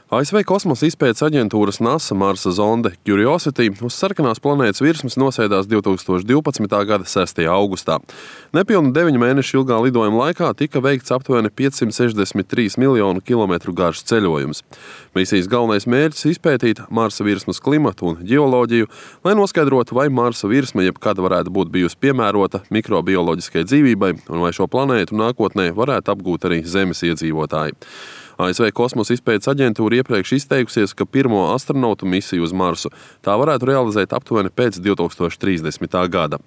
ASV kosmosa izpētes aģentūras NASA Marsa zonde Curiosity uz sarkanās planētas virsmas nosēdās 2012. gada 6. augustā. Nepilni 9 mēnešu ilgā lidojuma laikā tika veikts aptuveni 563 miljonu kilometru garš ceļojums. Misijas galvenais mērķis izpētīt Marsa virsmas klimatu un ģeoloģiju, lai noskaidrotu, vai Marsa virsma jebkad varētu būt bijusi piemērota mikrobioloģiskai dzīvībai un vai šo planētu nākotnē varētu apgūt arī Zemes iedzīvotāji. ASV kosmosa izpētes aģentūra iepriekš izteikusies, ka pirmo astronautu misiju uz Marsu tā varētu realizēt aptuveni pēc 2030. gada.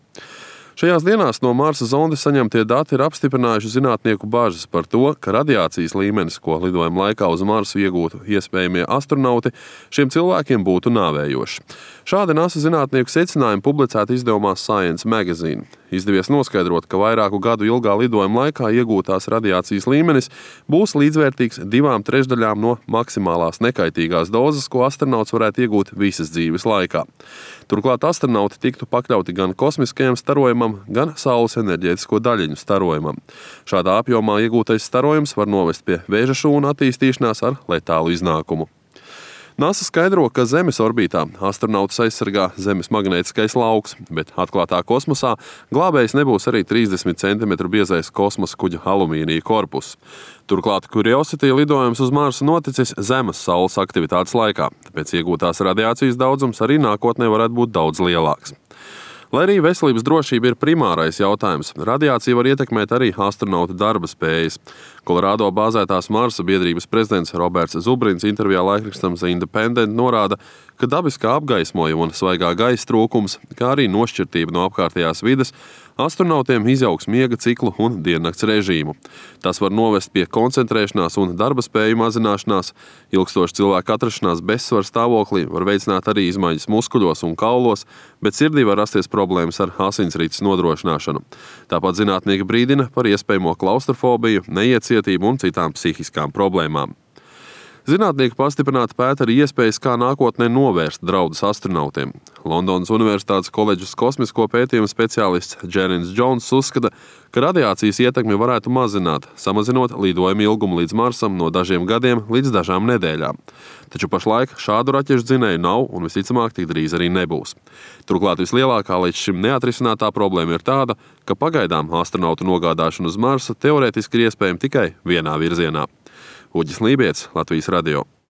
Šajās dienās no Marsa zondes saņemtie dati ir apstiprinājuši zinātnieku bažas par to, ka radiācijas līmenis, ko lidojuma laikā uz Marsu iegūtu iespējamie astronauti, šiem cilvēkiem būtu nāvējošs. Šādi NASA zinātnieku secinājumi publicēti izdevumā Science Magazine. Izdevies noskaidrot, ka vairāku gadu ilgā lidojuma laikā iegūtās radiācijas līmenis būs līdzvērtīgs 2/3 no maksimālās nekaitīgās dozes, ko astronauts varētu iegūt visas dzīves laikā. Turklāt astronauti tiktu pakļauti gan kosmiskajam starojumam, gan Saules enerģētisko daļiņu starojumam. Šādā apjomā iegūtais starojums var novest pie vēža šūnu attīstīšanās ar letālu iznākumu. NASA skaidro, ka Zemes orbītā astronautus aizsargā Zemes magnētiskais lauks, bet atklātā kosmosā glābējs nebūs arī 30 cm biezais kosmosa kuģa alumīnija korpus. Turklāt Curiosity lidojums uz Marsu noticis zemes Saules aktivitātes laikā, tāpēc iegūtās radiācijas daudzums arī nākotnē varētu būt daudz lielāks. Lai arī veselības drošība ir primārais jautājums, radiācija var ietekmēt arī astronauta darba spējas. Kolorādo bāzētās Marsa biedrības prezidents Roberts Zubrins intervijā laikrakstam The Independent norāda, ka dabiskā apgaismojuma un svaigā gaisa trūkums, kā arī nošķirtība no apkārtējās vides, astronautiem izjauks miega ciklu un diennakts režīmu. Tas var novest pie koncentrēšanās un darba spēju mazināšanās, ilgstoša cilvēka atrašanās bezsvara stāvoklī var veicināt arī izmaiņas muskuļos un kaulos, bet sirdī var rasties problēmas ar asinsrites nodrošināšanu. Tāpat zinātnieki brīdina par iespējamo klaustrofobiju, neiecietību un citām psihiskām problēmām. Zinātnieki pastiprināti pēta arī iespējas, kā nākotnē novērst draudus astronautiem. Londonas Universitātes koledžas kosmisko pētījumu speciālists Džerins Džons uzskata, ka radiācijas ietekmi varētu mazināt, samazinot lidojumu ilgumu līdz Marsam no dažiem gadiem līdz dažām nedēļām. Taču pašlaik šādu raķešu dzinēju nav un visticamāk tik drīz arī nebūs. Turklāt vislielākā līdz šim neatrisinātā problēma ir tāda, ka pagaidām astronautu nogādāšana uz Marsu teorētiski ir iespējama tikai vienā virzienā. Uģis Lībietis, Latvijas radio.